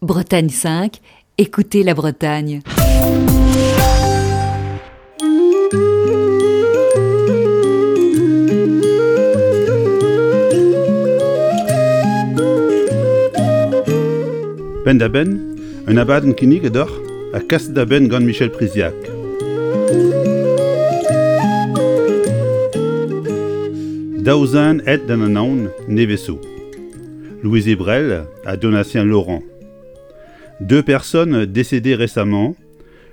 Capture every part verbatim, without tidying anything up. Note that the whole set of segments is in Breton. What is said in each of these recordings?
Bretagne cinq, écoutez la Bretagne. Penn-da-benn, un abadenn kinniget deoc'h ha kaset da benn gant Michel Priziac. Daou zen aet d'an Anaon nevez zo. Louise Ebrel ha Donatien Laurent. Deux personnes décédées récemment,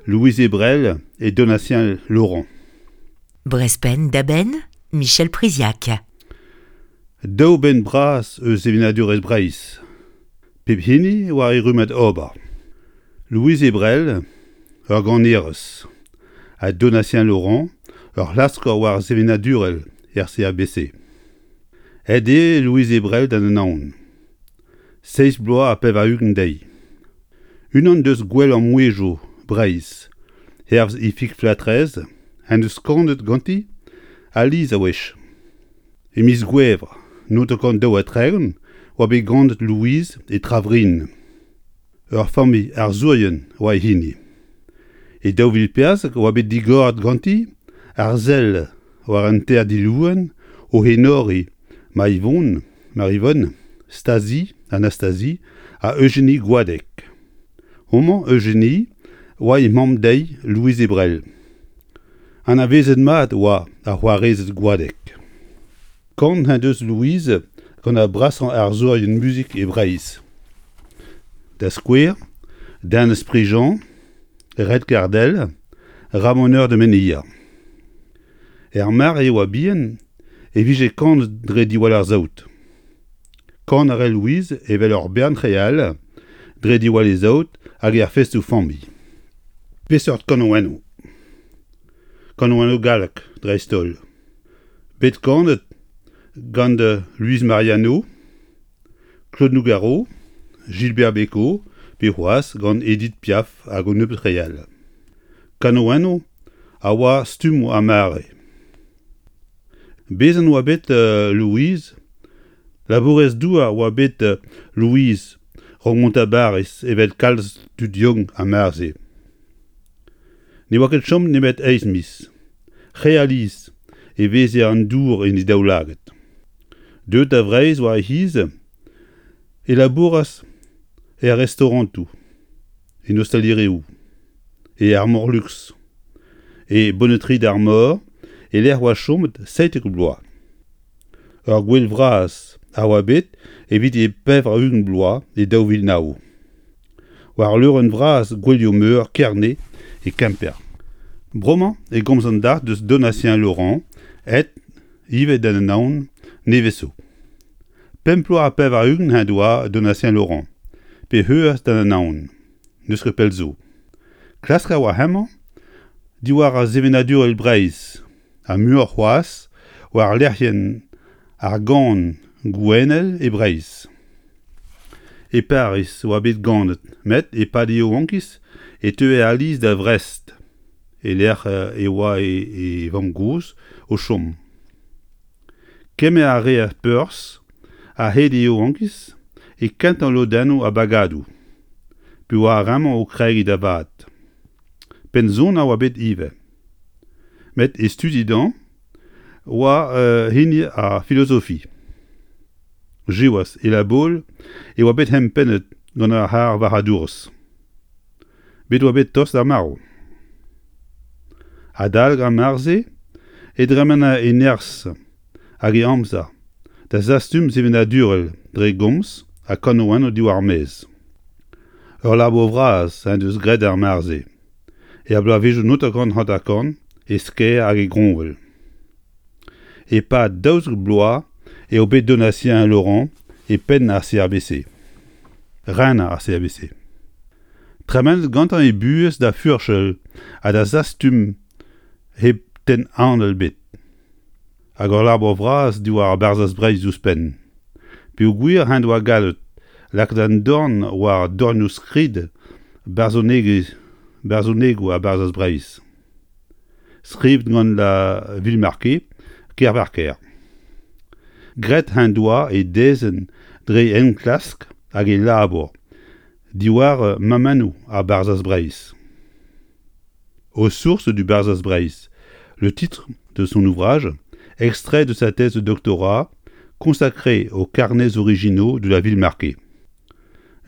Louise Ebrel et Donatien Laurent. Brezh Penn-da-Benn, Michel Priziac. Daou benn bras eus sevenadurezh Breizh. Pep hini war e rummad ober. Louise Ebrel, ur ganerez, ha Donatien Laurent, ur c'hlasker war sevenadurel er C A B C. Aet eo Louise Ebrel d'an Anaon. Seizh bloaz ha pevar-ugent dezhi. Unan deus gwellañ mouezhioù Breizh, hervez Ifig Flatrez, en deus kanet ganti alies a-wech. E miz Gouevr, naontek daou ha tregont, oa bet ganet Louise e Travrin. Ur familh arzourien oa e hini. E daou vil perzek oa bet digoret ganti ar sell war an ter dilouenn o enoriñ Maivon, Marivonne, Stasi, Anastasie ha Eugénie Goadec. Homañ, Eugénie, oa he mamm dezhi Louise Ebrel. Anavezet mat oa ar c'hoarezed Goadec. Kant he deus Louise gant ar brasañ arzourien muzik e Breizh. Da skouer, Denez Prigent, Red Cardell, Ramoneur de Menhir. Er mare e oa bihan e vije kanet dre diwall ar saout. Kan a rae Louise evel ur bern re all dre diwall e saout hag er festoù familh. Peseurt kanaouennoù ? Kanaouennoù gallek dreist-holl. Bet kanet gant Louise Mariano, Claude Nougaro, Gilbert Bécaud, pe c'hoazh gant Edith Piaf hag un nebeud re all. Kanaouennoù a oa stummoù ar mare. Bezañ oa bet Louise, labourez-douar oa bet Louise raok mont da Bariz evel kalz tud yaouank ar mare-se. Ne oa ket chomet nemet eizh miz. Re alies e veze an dour en he daoulagad. Deuet da Vreizh war he c'hiz, e labouras er restaurantoù, en ostalerioù, e Armor Lux, e Bonneterie d'Armor e-lec'h oa chomet seitek bloaz. Ur gouel vras a oa bet evit e pevar-ugent bloaz e daou vil nav. War leurenn vras gouelioù-meur Kerne e Kemper. Bremañ e gomz an dac'h deus Donatien Laurent, aet ivez d'an Anaon nevez zo. Pemp bloaz ha pevar-ugent he doa Donatien Laurent, pe c'heuas d'an Anaon, n'eus ket pell zo. Klask a oa hemañ diwar ar sevenadurel Breizh, ha muioc'h c'hoazh war lec'hienn ar gan gouenel e Breizh. E Pariz oa bet ganet, met e-pad e yaouankiz e teue alies da Vrest, e-lec'h e oa e vamm-gozh o chom. Kemer a reas perzh a-hed e yaouankiz e kentañ lodennoù ar bagadoù, pe oa ar re-mañ o kregiñ da vat. Pennsoner a oa bet ivez. Met e studi dezhañ oa hini ar filozofi. Siwazh, e Labaul e oa bet empennet gant ar c'harr varc'hadourezh. Bet oa bet tost d'ar marv. Adalek ar mare-se e dremene e nerzh hag e amzer da zastum sevenadurel dre gomz ha kanaouennoù diwar maez. Ur labour vras en deus graet ar mare-se, er bloavezhioù naontek hanter-kant e Skaer hag e Groñvel. E-pad daouzek bloaz eo bet Donatien Laurent e penn ar C A B C. Rener ar C A B C. Tremenet gantañ e buhez da furchal ha da zastum hep tenn anal ebet. Hag ur labour vras diwar ar Barzhaz Breizh ouzhpenn. Peogwir en doa gallet lakaat an dorn war dornioù skrid barzhonegoù ar Barzhaz Breizh. Skrivet gant la Villemarqué, Kervarker. Graet en doa e dezenn dre enklask hag e labour Diwar mammennoù ar Barzhaz Breizh. Aux sources du Barzhaz Breizh, le titre de son ouvrage, extrait de sa thèse de doctorat consacrée aux carnets originaux de la Villemarqué.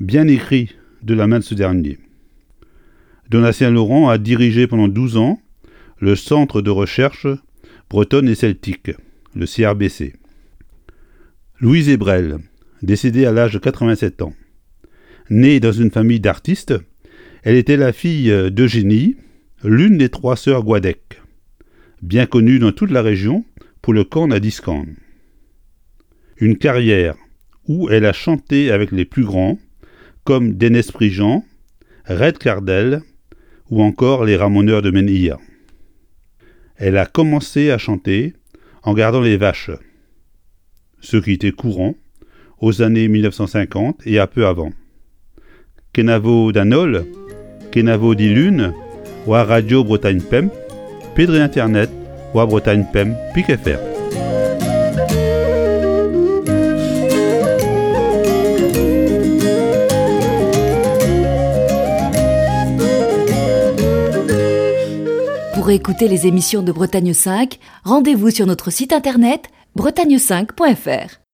Bien écrit de la main de ce dernier. Donatien Laurent a dirigé pendant douze ans le Centre de recherche bretonne et celtique, le C R B C. Louise Ebrel, décédée à l'âge de quatre-vingt-sept ans. Née dans une famille d'artistes, elle était la fille d'Eugénie, l'une des trois sœurs Goadec, bien connue dans toute la région pour le kan à diskan. Une carrière où elle a chanté avec les plus grands, comme Denez Prigent, Red Cardell ou encore les Ramoneurs de Menhir. Elle a commencé à chanter en gardant les vaches, ce qui était courant aux années mille neuf cent cinquante et un peu avant. Kenavo d'Anol, Kenavo d'Ilune, ou à Radio Bretagne Pemp, Pedre Internet, ou à Bretagne Pemp, Pic F R. Pour écouter les émissions de Bretagne cinq, rendez-vous sur notre site internet bretagne cinq point F R.